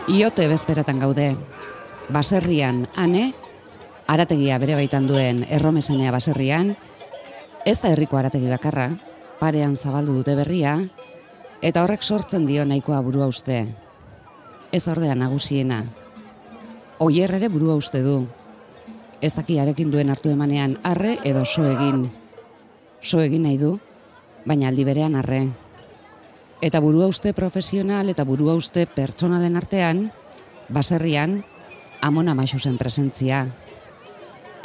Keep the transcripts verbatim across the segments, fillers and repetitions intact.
Iote bezperatan gaude, baserrian ane, arategia bere baitan duen erromesanea baserrian, ez da herriko arategi bakarra, parean zabaldu dute berria, eta horrek sortzen dio nahikoa burua uste. Ez ordea nagusiena. Oier ere burua uste du. Ez daki arekin duen hartu emanean arre edo so egin. So egin nahi du, baina aldi berean arre. Eta burua uste profesional eta burua uste pertsonalen artean, baserrian, Amona Maxusen presentzia.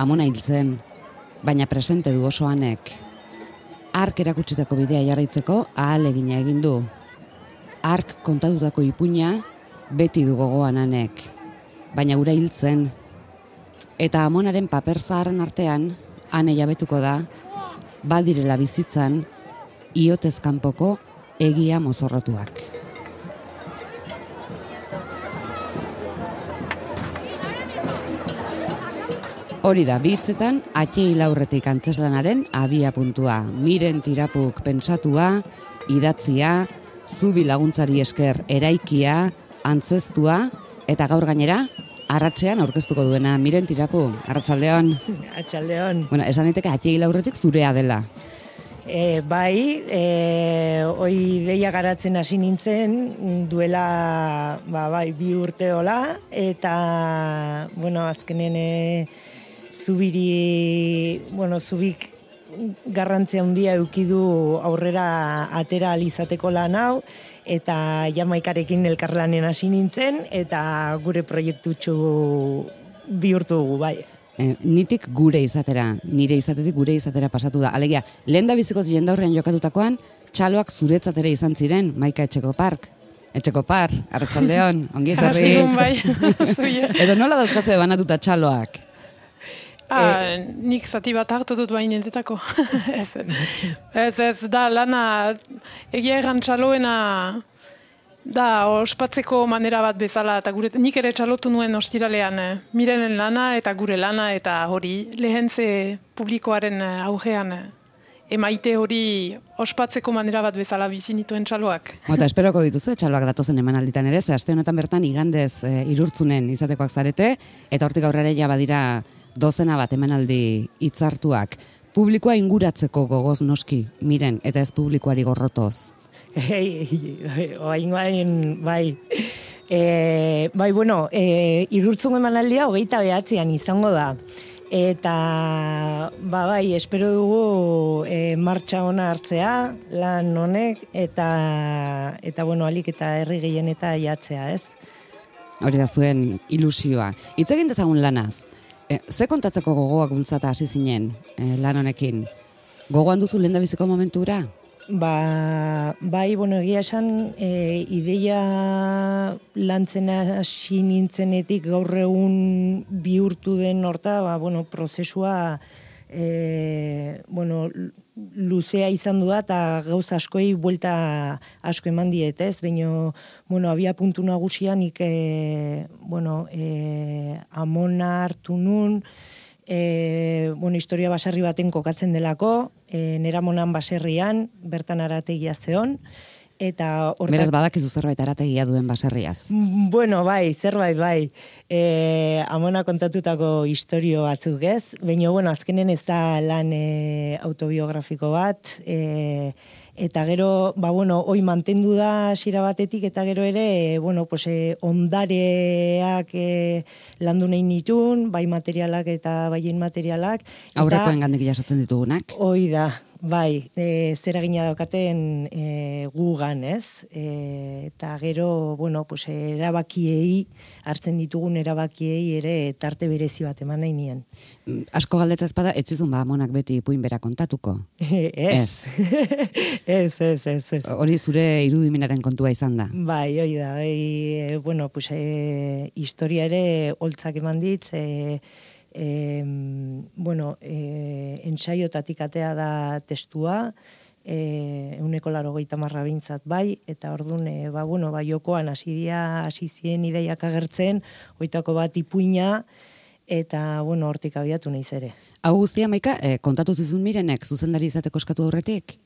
Amona hiltzen, baina presente du oso anek. Ark erakutsitako bidea jarraitzeko ahalegina egin du. Ark kontatutako ipuina beti du gogoan anek, baina ura hiltzen. Eta Amonaren paper zaharren artean, ane jabetuko da, badirela bizitzan, iotez kanpoko egia mozorrotuak. Hori da, bitzetan, atxei laurretik antzeslanaren abia puntua. Miren Tirapuk pentsatua, idatzia, zubi laguntzari esker eraikia, antzestua, eta gaur gainera, arratsean aurkeztuko duena. Miren Tirapu, arratsaldeon. Arratsaldeon. Bueno, esan daiteke atxei laurretik zurea dela. E, bai, e, oi deia garatzen hasi nintzen duela ba, bai, bi urte hola, eta bueno, azkenen e, zubiri, bueno, zubik garrantzia handia eukidu aurrera atera alizateko lan hau, eta Jamaikarekin elkarlanen hasi nintzen, eta gure proiektutxu bihurtu dugu, bai. Eh, nitik gure izatera, nire izatetik gure izatera pasatu da. Alegia, lehen da bizikoz jendaurrean jokatutakoan, txaloak zuretzatera izan ziren, Maika Etxekopark. Etxekopar, arratsaldeon, ongi etorri. Arratsaldeon bai. Edo nola dauzkazue banatuta txaloak? Ah, e... nik zati bat hartu dut bain entetako. ez, ez, ez, da lana, egia erran txaloena, da ospatzeko manera bat bezala, eta gure, nik ere txalotu nuen ostiralean, eh, Mirenen lana eta gure lana, eta hori lehentze publikoaren augean eh, emaite hori ospatzeko manera bat bezala bizi nituen txaloak. Eta esperoko dituzu, txaloak datozen emanalditan ere, ze aste honetan bertan igandez e, irurtzunen izatekoak zarete, eta hortik aurrera ja badira dozena bat emanaldi hitzartuak. Publikoa inguratzeko gogoz noski, Miren, eta ez publikoari gorrotoz. Ei, oain bain, bai. E, bai, bueno, e, irurtzun emanaldia hogeita behatzean izango da. Eta, ba, bai, espero dugu e, martxa ona hartzea, lan honek, eta, eta bueno, alik eta herri gehien eta jatzea, ez? Hori da zuen ilusioa. Hitz egin dezagun lanaz. E, ze kontatzeko gogoak bultzata hasi zinen e, lan honekin? Gogoan duzu lehendabiziko momentura? Ba, bai, bueno, egia esan, e, ideia lantzen hasi nintzenetik gaur egun bihurtu den horta, ba, bueno, prozesua e, bueno, luzea izan du da, eta gauza askoi buelta asko eman diet, ez? Baina, bueno, abia puntu nagusia nik, e, bueno, e, Amona hartu nun, E, bueno, historia baserri baten kokatzen delako, e, Neramonan baserrian, bertan arategia zeon, eta hortak... Beraz badakizu zerbait arategia duen baserriaz. Bueno, bai, zerbait, bai. E, Amona kontatutako historio batzuk ez, baina, bueno, azkenen ez da lan e, autobiografiko bat, e, eta gero, ba, bueno, hoi mantendu da hasiera batetik, eta gero ere, e, bueno, pues, e, ondareak e, landu nahi nitun, bai materialak eta baien materialak. Aurrekoen gandik jasotzen ditugunak. Hoi da, bai, e, zer egina daukaten e, gugan, ez? E, eta gero, bueno, pues, erabakiei, hartzen ditugun erabakiei ere tarte berezi bat eman nahi nien. Asko galdetza ezpada, ez zizun ba Amonak beti ipuin bera kontatuko? Ez. Ez, ez, ez, ez. Hori zure irudimenaren kontua izan da? Bai, hori da. E, bueno, pues, e, historia ere holtzak eman dit, e, e, bueno, e, entsaiotatik atea da testua, e, euneko laro gehieta marra bintzat bai, eta orduan, e, ba, bueno, ba, jokoan hasi dia, hasi zien ideiak agertzen, hoitako bat ipuina, eta, bueno, hortik abiatu nahiz ere. Hau guztia, Maika, eh, kontatu zizun Mirenek zuzendari izateko eskatu aurretik?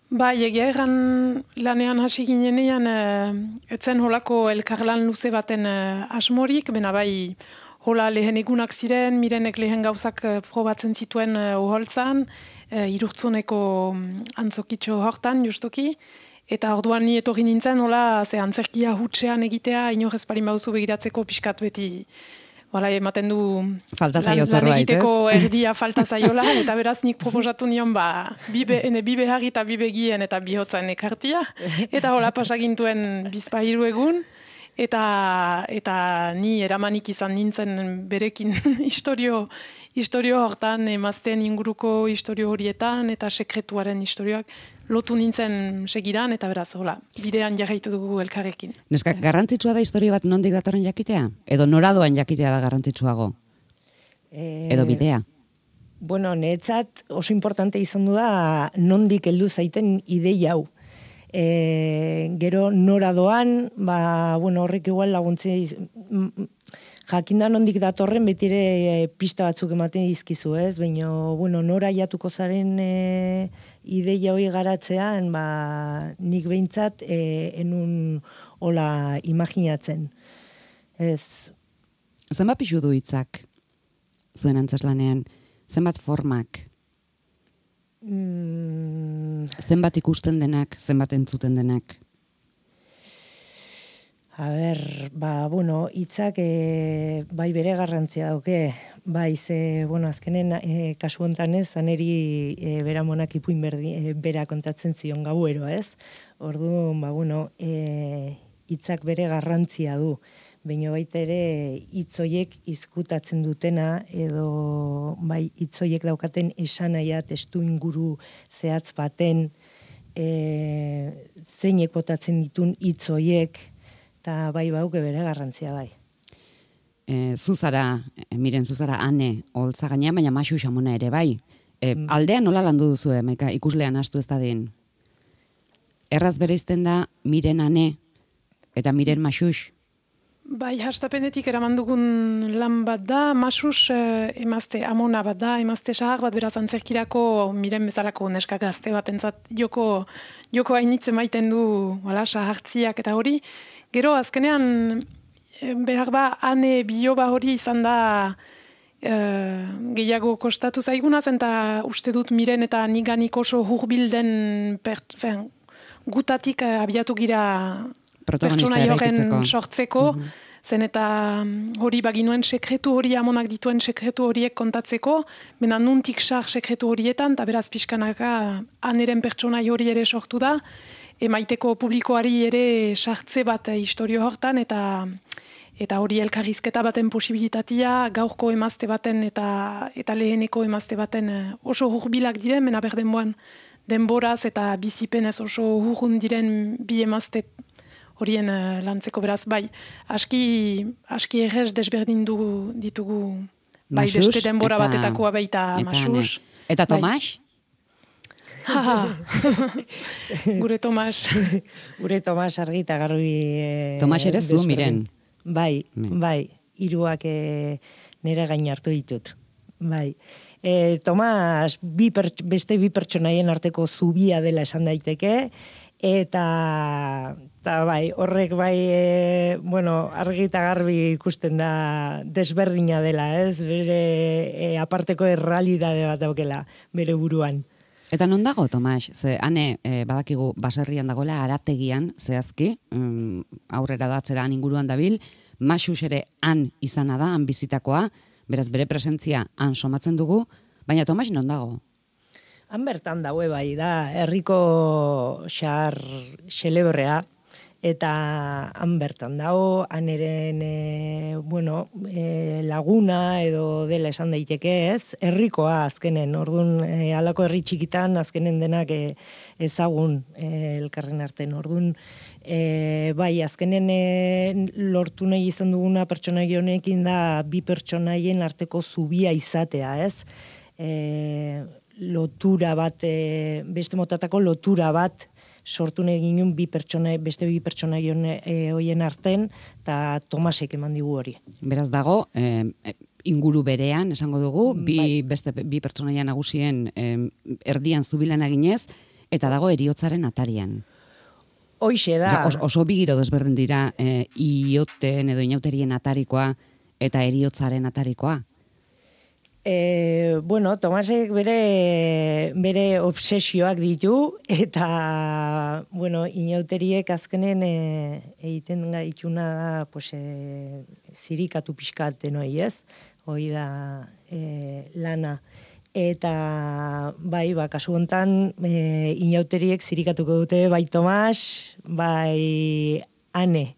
Bai, egia erran lanean hasi ginenean, e, etzen holako elkarlan luze baten e, asmorik, bena bai hola lehen egunak ziren, mirenek lehen gauzak e, probatzen zituen e, uholtzan, e, irurtzuneko antzokitxo hortan justuki, eta orduan ni etorri nintzen, hola, ze antzerkia hutsean egitea, inor ez parin bauzu begiratzeko pixkat beti, Hala, ematen du falta lan, zaio lan egiteko erdia falta zaiola, eta beraz nik proposatu nion ba, bibe, ene bibe harri eta bibe gien eta bihotzan ekartia, eta hola pasagintuen bizpahiru egun, eta, eta ni eramanik izan nintzen berekin historio, historio hortan, emazten inguruko historio horietan, eta sekretuaren historioak, lotu nintzen segidan, eta beraz, hola, bidean jarraitu dugu elkarrekin. Neska, garrantzitsua da historio bat nondik datorren jakitea? Edo noradoan jakitea da garrantzitsuago? E... Edo bidea? Bueno, niretzat oso importante izan du da nondik heldu zaiten ideia hau. E, gero noradoan, ba, bueno, horrek igual laguntzea jakinda nondik datorren betire e, pista batzuk ematen dizkizu, ez? Baina, bueno, nora jatuko zaren e, ideia hori garatzean, ba, nik behintzat e, enun hola imaginatzen. Ez. Zenbat pixu du hitzak zuen antzeslanean? Zenbat formak? Mm. Zenbat ikusten denak, zenbat entzuten denak? A ber, ba, bueno, hitzak e, bai bere garrantzia dauke, bai, ze, bueno, azkenen e, kasu hontan ez, zaneri e, bera monak ipuin berdi, e, bera kontatzen zion gauero, ez? Orduan, ba, bueno, e, hitzak bere garrantzia du, baina baita ere hitzoiek izkutatzen dutena, edo bai hitzoiek daukaten esanaia testu inguru zehatz baten, e, zeinek botatzen ditun hitzoiek, eta bai bauke bere garrantzia bai. E, zuzara, e, miren zuzara ane, holtza gainean, baina Maxu Xamona ere bai. E, mm. Aldean nola landu duzu, Maika, ikuslean astu ez da den? Erraz bereizten da miren ane eta miren Maxux? Bai, hastapenetik eraman dugun lan bat da, Maxux eh, emazte amona bat da, emazte sahar bat beraz antzerkirako miren bezalako neska gazte bat entzat joko, joko hainitze maiten du wala, sahartziak eta hori. Gero, azkenean, behar ba, ane biloba hori izan da e, gehiago kostatu zaiguna, eta uste dut miren eta niganik oso hurbilden fen, gutatik abiatu gira pertsona joren sortzeko, mm-hmm. zen eta hori baginuen sekretu hori amonak dituen sekretu horiek kontatzeko, bena nuntik sar sekretu horietan, eta beraz pixkanaka aneren pertsona hori ere sortu da, emaiteko publikoari ere sartze bat historio hortan, eta eta hori elkarrizketa baten posibilitatea, gaurko emazte baten eta eta leheneko emazte baten oso hurbilak diren, mena berdenboan denboraz eta bizipenez oso hurrun diren bi emazte horien uh, lantzeko beraz, bai, aski, aski errez desberdin du, ditugu, bai, Maxus, beste denbora eta, batetakoa baita Maxus. Eta Tomas? Gure Tomas. Gure Tomas argi eta garbi... E, Tomas ere zu, miren. Bai, mm. bai, hiruak e, nire gain hartu ditut. Bai. E, Tomas bi per, beste bi pertsonaien arteko zubia dela esan daiteke, eta, eta bai, horrek bai, e, bueno, argi eta garbi ikusten da desberdina dela, ez? Bere e, aparteko errealidade bat daukela, bere buruan. Eta non dago, Tomas? Ze, ane, e, badakigu baserrian dagoela arategian, zehazki, um, aurrera datzera han inguruan dabil, Maxus ere han izana da, han bizitakoa, beraz bere presentzia han somatzen dugu, baina Tomas non dago? Han bertan daue bai, da, herriko xar xelebrea, eta han bertan dago, han eren, e, bueno, e, laguna edo dela esan daiteke ez, herrikoa azkenen, orduan e, alako herri txikitan azkenen denak e, ezagun e, elkarren arten, orduan e, bai, azkenen e, lortu nahi izan duguna pertsonaia honekin da bi pertsonaien arteko zubia izatea, ez? E, lotura bat, e, beste motatako lotura bat sortu nahi ginen bi pertsona, beste bi pertsona e, hoien arten, eta Tomasek eman digu hori. Beraz dago, eh, inguru berean, esango dugu, bi, bai. beste bi pertsonaia nagusien eh, erdian zubilan eginez, eta dago eriotzaren atarian. Hoixe da. Ja, oso bigiro desberdin dira e, ioten edo inauterien atarikoa eta eriotzaren atarikoa. E, bueno, Tomasek bere, bere obsesioak ditu, eta, bueno, inauteriek azkenen e, egiten gaituna pues, e, zirikatu pixkaten hoi, ez? Hoi da e, lana. Eta, bai, ba, kasu hontan, e, inauteriek zirikatuko dute, bai Tomas, bai Ane.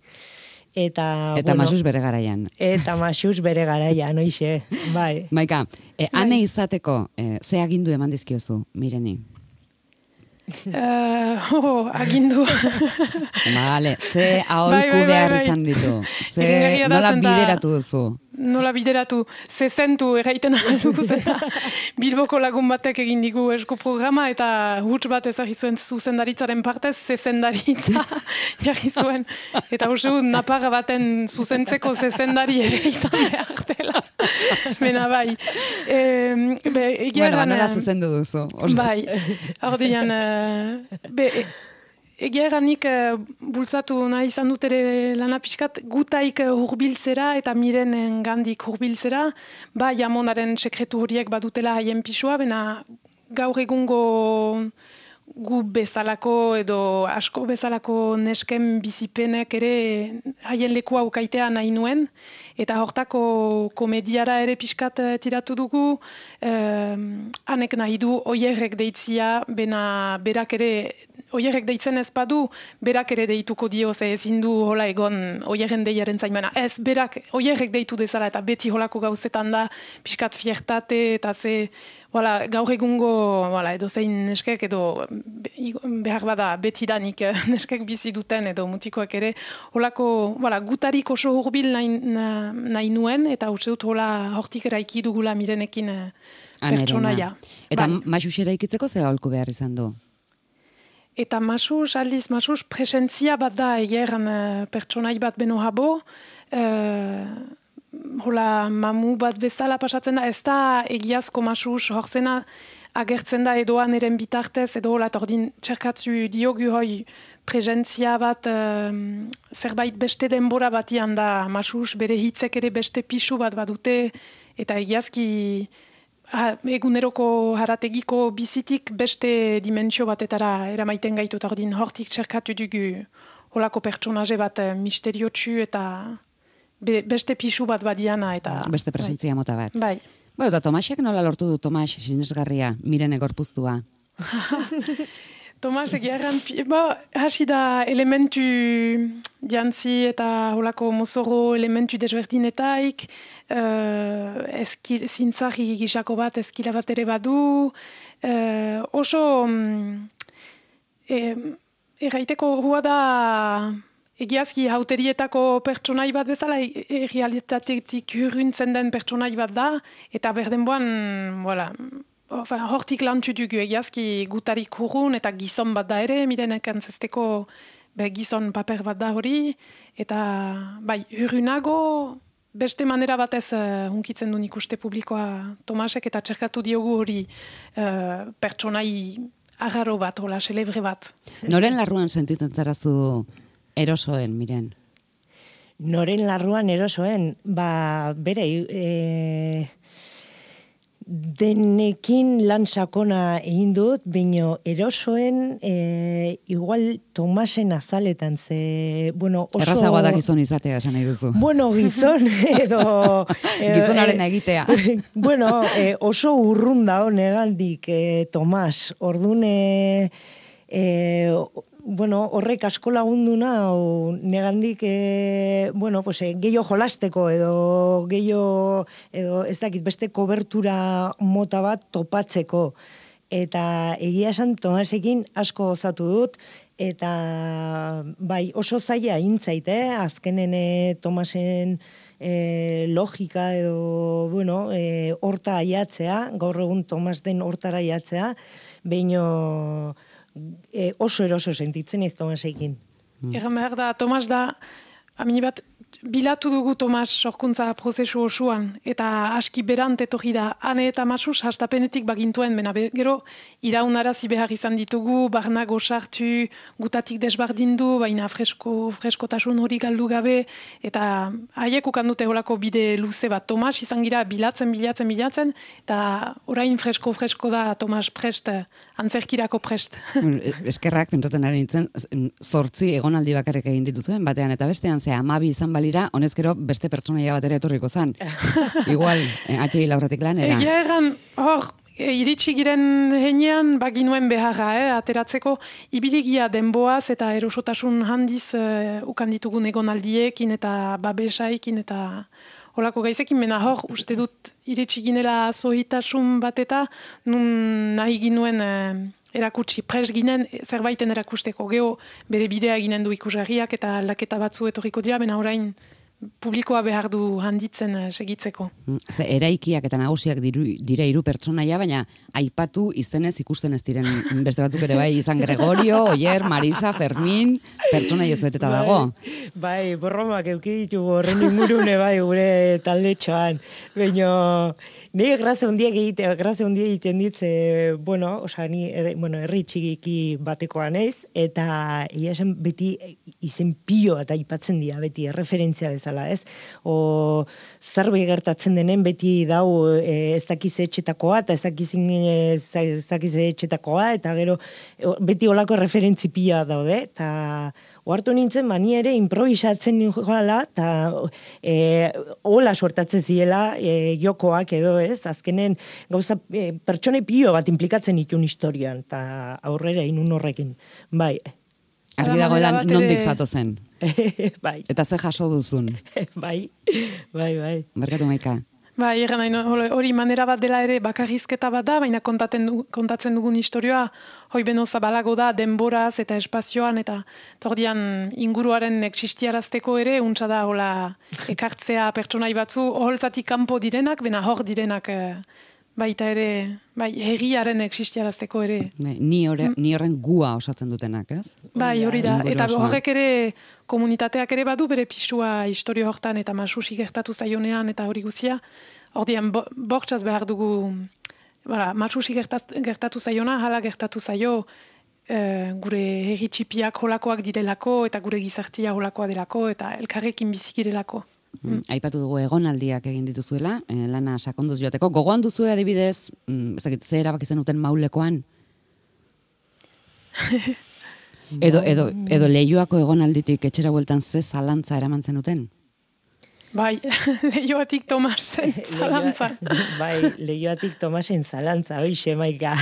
Eta, eta bueno, Masuz bere garaian. Eta Masuz bere garaian, oixe, bai. Maika, e, Ane izateko, e, ze agindu eman dizkiozu, Mireni? Uh, oh, agindu. Vale, ze aholku bai, bai, behar bai. izan ditu? Ze nola bideratu duzu? Nola bideratu, zezentu erraiten aldugu zena. Bilboko lagun batek egin digu esku programa eta huts bat ezagri zuen zuzendaritzaren partez, zezendaritza jarri zuen. Eta uste dut naparra baten zuzentzeko zezendari ere izan behar dela. Bena bai. E, be, bueno, nola zuzendu duzu. Bai, ordean, uh, be, egia eranik uh, bultzatu nahi izan dut ere lana pixkat gutaik hurbiltzera eta miren gandik hurbiltzera, ba jamonaren sekretu horiek badutela haien pisua, bena gaur egungo gu bezalako edo asko bezalako nesken bizipenek ere haien lekua ukaitea nahi nuen, eta hortako komediara ere pixkat tiratu dugu, eh, hanek nahi du oierrek deitzia, bena berak ere oierrek deitzen ez badu, berak ere deituko dio, ze ezin du hola egon oierren deiaren zaimena. Ez, berak oierrek deitu dezala eta beti holako gauzetan da, pixkat fiertate eta ze, wala, gaur egungo wala, edo zein neskek edo behar bada betidanik neskek bizi duten edo mutikoek ere, holako wala, gutarik oso hurbil nahi, nahi nuen, eta uste dut hola hortik eraiki dugula mirenekin pertsonaia. Eta bai. Masuz eraikitzeko ze aholku behar izan du? Eta Masuz, aldiz Masuz, presentzia bat da egeran uh, pertsonai bat beno habo, uh, hola mamu bat bezala pasatzen da, ez da egiazko Masuz horzena agertzen da edoan eren bitartez, edo hola tordin txerkatzu diogu hoi presentzia bat uh, zerbait beste denbora batian da Masuz, bere hitzek ere beste pisu bat badute, eta egiazki Ha, eguneroko harategiko bizitik beste dimentsio batetara eramaiten gaitu, eta ordin hortik txerkatu dugu holako pertsonaje bat misteriotsu eta be, beste pisu bat badiana. Eta, beste presentzia bai. Mota bat. Bai. Bueno, eta Tomasek nola lortu du Tomas sinesgarria, miren egorpuztua? Tomas egiarran, hasi da elementu jantzi eta holako mozoro elementu desberdinetaik, uh, eskil, zintzari gisako bat eskila bat ere badu, uh, oso um, e, erraiteko hua da egiazki hauterietako pertsonai bat bezala, errealitatetik hurruntzen den pertsonai bat da, eta berdenboan, voilà, Enfin, hortik lantu dugu egiazki gutarik hurrun eta gizon bat da ere, mirenek antzesteko gizon paper bat da hori, eta bai, hurrunago beste manera batez uh, hunkitzen duen ikuste publikoa Tomasek, eta txerkatu diogu hori uh, pertsonai agarro bat, hola, celebre bat. Noren larruan sentitzen zarazu erosoen, miren? Noren larruan erosoen, ba, bere, e... denekin lan sakona egin dut, baino erosoen e, igual Tomasen azaletan, ze, bueno, oso... Errazagoa da gizon izatea, esan nahi duzu. Bueno, gizon, edo... Gizonaren egitea. Bueno, e, oso urrun da negandik e, Tomas, orduan, e, e, bueno, horrek asko lagunduna, o, negandik, e, bueno, pues, e, gehiago jolasteko, edo gehiago, edo ez dakit, beste kobertura mota bat topatzeko. Eta egia esan Tomasekin asko gozatu dut, eta bai, oso zaila intzait, eh? Azkenen e, Tomasen e, logika edo, bueno, e, horta aiatzea, gaur egun Tomas den hortara aiatzea, baino... E, oso eroso sentitzen ez Tomasekin. Mm. Egan behar da, Tomas da, amini bat, bilatu dugu Tomas sorkuntza prozesu osoan, eta aski berant etorri da, Ane eta Masus hastapenetik bagintuen, bena gero iraunarazi behar izan ditugu, barnago sartu, gutatik desbardindu, baina fresko, freskotasun hori galdu gabe, eta haiek ukandute holako bide luze bat. Tomas izan gira bilatzen, bilatzen, bilatzen, eta orain fresko-fresko da Tomas prest, antzerkirako prest. Eskerrak, pentoten ari nintzen, zortzi egonaldi bakarrik egin dituzuen, batean eta bestean, ze amabi izan balira, honezkero beste pertsonaia bat ere etorriko zan. Igual, atxegi laurretik lanera. Egia erran, hor, e, iritsi giren heinean, baginuen beharra, eh, ateratzeko, ibiligia denboaz eta erosotasun handiz uh, ukan ditugun egonaldiekin eta babesaikin eta holako gaizekin, mena hor, uste dut iritsi ginela zohitasun bat eta nun nahi ginuen uh, erakutsi, pres ginen zerbaiten erakusteko, geho bere bidea ginen du ikusgarriak eta aldaketa batzu etorriko dira, bena orain publikoa behar du handitzen uh, segitzeko. Ze eraikiak eta nagusiak diru, dira hiru pertsonaia, baina aipatu izenez ikusten ez diren beste batzuk ere bai, izan Gregorio, Oier, Marisa, Fermin, pertsonaia ez beteta dago. Bai, borromak euki ditugu horren ingurune bai gure taldetxoan. Baina, nire grazia hundiak egite, grazia hundiak egiten ditze, bueno, osa, ni, er, bueno, herri txigiki batekoa naiz, eta ia esan beti izen pilo eta aipatzen dira, beti erreferentzia bezala. Ez? O zerbait gertatzen denen beti dau e, ez dakiz etxetakoa eta ez dakiz ez dakiz etxetakoa eta gero beti olako referentzi pila daude eta ohartu nintzen mani ere improvisatzen ninjoala eta e, hola suertatzen ziela e, jokoak edo ez azkenen gauza e, pertsone pilo bat implikatzen ditun historian eta aurrera inun horrekin bai. Argi dagoela nondik zatozen. Bai. Eta ze jaso duzun. Bai, bai, bai. Barkatu Maika. Bai, egan nahi, hori manera bat dela ere bakarrizketa bat da, baina kontaten, kontatzen dugun historioa, hoi beno zabalago da, denboraz eta espazioan, eta tordian inguruaren existiarazteko ere, untsa da, hola, ekartzea pertsonai batzu, holtzatik kanpo direnak, bena hor direnak, baita ere, bai, herriaren existiarazteko ere. Ni, ore, ni horren gua osatzen dutenak, ez? Bai, hori da, eta horrek ere, komunitateak ere badu bere pisua historio hortan, eta Masusi gertatu zaionean, eta hori guzia, ordian, bo, bortxaz behar dugu, bara, Masusi gertat, gertatu zaiona, hala gertatu zaio, e, gure herri txipiak holakoak direlako, eta gure gizartia holakoa delako, eta elkarrekin bizikirelako. Mm. Aipatu dugu egonaldiak egin dituzuela, eh, lana sakonduz joateko. Gogoan duzu adibidez, mm, ezakit, ze erabaki zenuten maulekoan? edo, edo, edo Leioako egonalditik etxera bueltan ze zalantza eraman zenuten? Bai, Leioatik Tomasen zalantza. Bai, Leioatik Tomasen zalantza, hoixe Maika.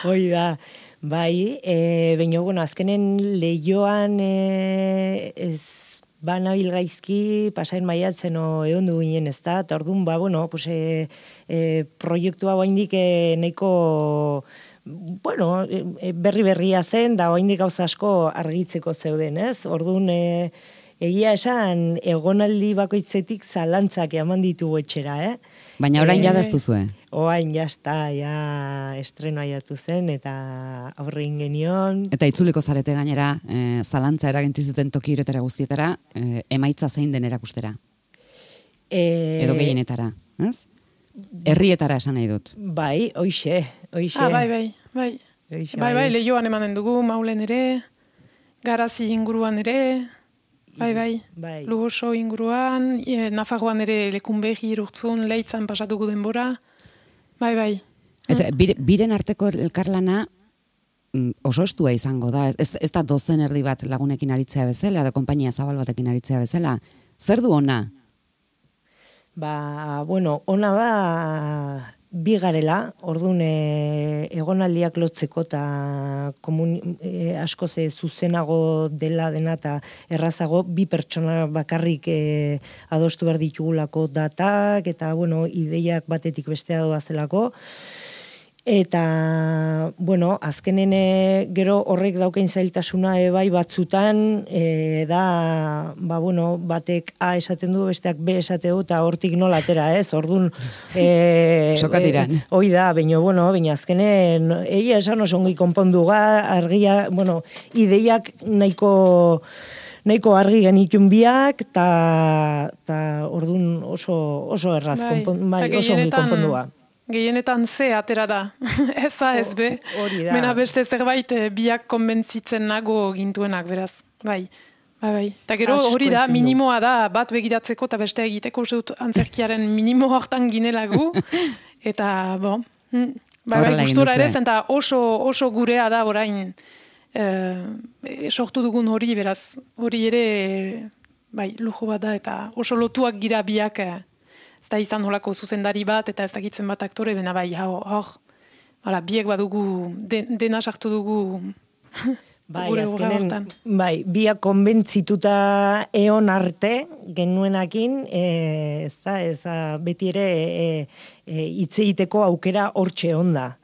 Hoi da. Bai, e, baina, bueno, azkenen Leioan e, ez ba nabil gaizki, pasain maiatzen o egon du ginen ez da, eta orduan, ba, bueno, pues, e, e, proiektua oaindik e, nahiko, bueno, e, berri-berria zen, da oaindik gauza asko argitzeko zeuden, ez? Orduan, e, egia esan, egonaldi bakoitzetik zalantzak eman ditugu etxera, eh? Baina orain e, jadaztu zuen? Orain jazta, ja, estrenoa jatu zen, eta aurrein genion. Eta itzuliko zarete gainera, e, zalantza eragintizuten toki iretara guztietara, e, emaitza zein den erakustera? E, Edo gehienetara, ez? Herrietara esan nahi dut. Bai, hoixe, hoixe. Ah, bai, bai, bai. Hoixe, bai, bai, Leioan emanen dugu, Maulen ere, Garazi inguruan ere, bai, bai, bai. Lugoso inguruan, e, Nafarroan ere Lekunberri, Urtzun, Leitzan pasatugu denbora, bai, bai. Ez, bire, biren arteko elkarlana oso estua izango da, ez, ez da dozen erdi bat lagunekin aritzea bezala, da konpainia zabal batekin aritzea bezala. Zer du ona? Ba, bueno, ona da bi garela, orduan e, egonaldiak lotzeko eta e, asko ze zuzenago dela dena eta errazago bi pertsona bakarrik e, adostu behar ditugulako datak eta bueno, ideiak batetik bestea doazelako. Eta, bueno, azkenen gero horrek daukain zailtasuna ebai batzutan, e, da, ba, bueno, batek A esaten du, besteak B esateu, eta hortik nola atera, ez? Orduan, e, sokatiran. E, hoi da, baina, bueno, baina azkenen, egia esan oso ongi konpondu ga, argia, bueno, ideiak nahiko, nahiko argi genitun biak, eta orduan oso, oso erraz, bai, konpon, bai, oso ongi konpondua. Gehienetan ze atera da, ez da ez be, mena beste zerbait biak konbentzitzen nago gintuenak, beraz, bai. Bai, bai. Eta gero hori da, minimoa da, bat begiratzeko eta beste egiteko zut antzerkiaren minimo hortan ginelagu. Eta, bon, bai, bai, gustora ere zen, eta oso, oso gurea da orain e, sortu dugun hori, beraz, hori ere, bai, lujo bat da, eta oso lotuak gira biak, ez da izan holako zuzendari bat, eta ez dakitzen bat aktore, bena bai, hor, hor, biek badugu, den, dena sartu dugu, bai, azkenen, bai, biak konbentzituta eon arte genuenakin, e, ez da, ez da, beti ere e, e, itzeiteko aukera hortxe onda.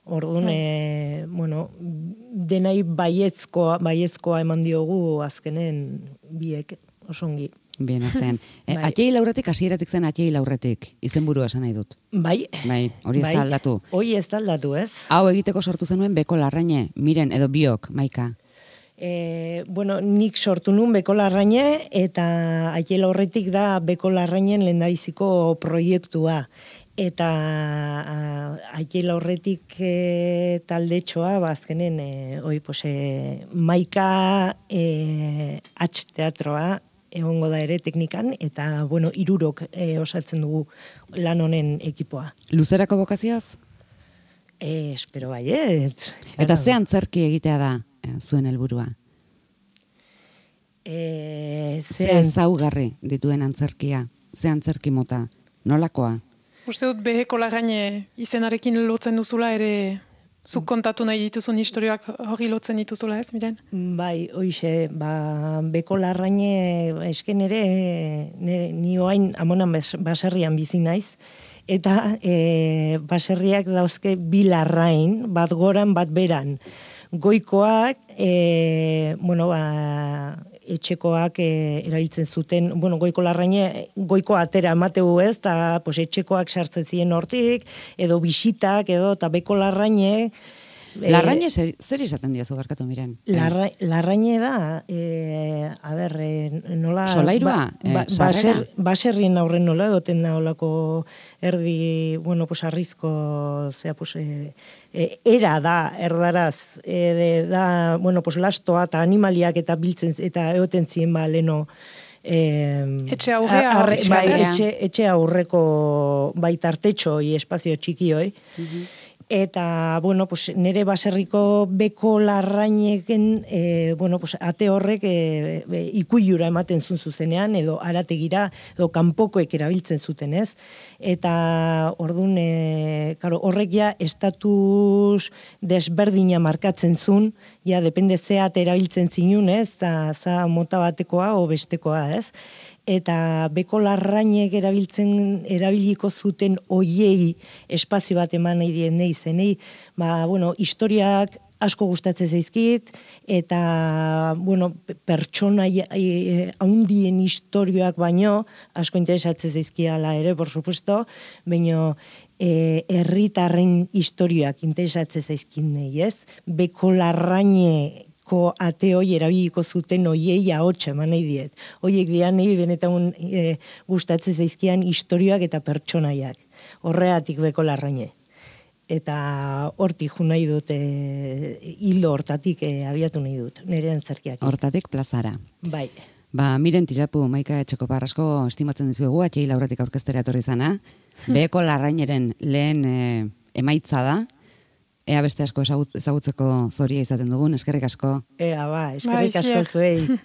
Orduan, e, bueno, denai baiezkoa, baiezkoa eman diogu azkenen biek, osongi. Bien, artean. E, bai. Atxei laurretik, hasieratik zen atxei laurretik, izenburua esan nahi dut. Bai. Bai, hori ez da aldatu. Hori ez da aldatu, ez? Hau egiteko sortu zenuen Beko Larraine, Miren edo biok, Maika. E, bueno, nik sortu nun Beko Larraine, eta atxei laurretik da Beko Larrainen lehendabiziko proiektua. Eta atxei laurretik e, taldetxoa, bazkenen, e, oi, pose, Maika e, H teatroa, egongo da ere teknikan, eta, bueno, irurok e, osatzen dugu lan honen ekipoa. Luzerako bokazioz? E, espero bai, ez. Eta ze antzerki egitea da zuen helburua? E, ze ezaugarri dituen antzerkia? Ze antzerki mota? Nolakoa? Uste dut Beko Larraine izenarekin lotzen duzula ere zuk kontatu nahi dituzun historioak hori lotzen dituzula ez, Miren? Bai, hoize, ba, Beko Larraine esken ere, nire, ni oain amonan baserrian bizi naiz, eta e, baserriak dauzke bi larrain, bat goran, bat beran. Goikoak, e, bueno, ba, etxekoak e, erabiltzen zuten, bueno, Goiko Larraine, goiko atera emateu ez, eta pues, etxekoak sartzen ziren hortik, edo bisitak, edo, eta Beko Larraine... Larraine zer, zer izaten diazu barkatu, Miren? Larra, larraine da, e, a ber, e, nola... Solairua? Ba, ba, baser, baserrien aurren nola, egoten da olako erdi, bueno, pues, arrizko, zea, pues, e, e, era da, erdaraz, e, de, da, bueno, pues, lastoa eta animaliak eta biltzen, eta egoten ziren, ba, leno... Eh, etxe aurrea, arre, bai, etxe, etxe aurreko baitartetxo, espazio txikioi, uh-huh. Eta, bueno, pues, nire baserriko Beko Larraineken, e, bueno, pues, ate horrek e, e, ikuilura ematen zuen zuzenean, edo arategira, edo kanpokoek erabiltzen zuten, ez? Eta, orduan, e, karo, horrek ja, estatus desberdina markatzen zuen, ja, depende zeat erabiltzen zinun, ez? Za, za mota batekoa, o bestekoa, ez? Eta Beko Larrainek erabiltzen erabiliko zuten oiei espazio bat eman nahi dien nahi zenei, ba, bueno, historiak asko gustatzen zaizkit, eta, bueno, pertsona haundien historioak baino, asko interesatzen zaizkiala ere, por supuesto, baino, e, herritarren historioak interesatzen zaizkin nahi, ez? Beko Larraine ate hoi erabiliko zuten oiei ahotsa eman nahi diet. Oiek dian nahi benetan e, gustatzen zaizkian historioak eta pertsonaiak. Horreatik Beko Larraine. Eta hortik jo nahi dut, e, hilo hortatik e, abiatu nahi dut, nire antzerkiak. Hortatik plazara. Bai. Ba, Miren Tirapu, Maika Etxekoparrasko estimatzen dizuegu, atxei lauratik aurkeztera etorri zana. Beko Larraineren lehen e, emaitza da. Ea beste asko ezagutzeko zoria izaten dugun, eskerrik asko. Ea ba, eskerrik asko zuei.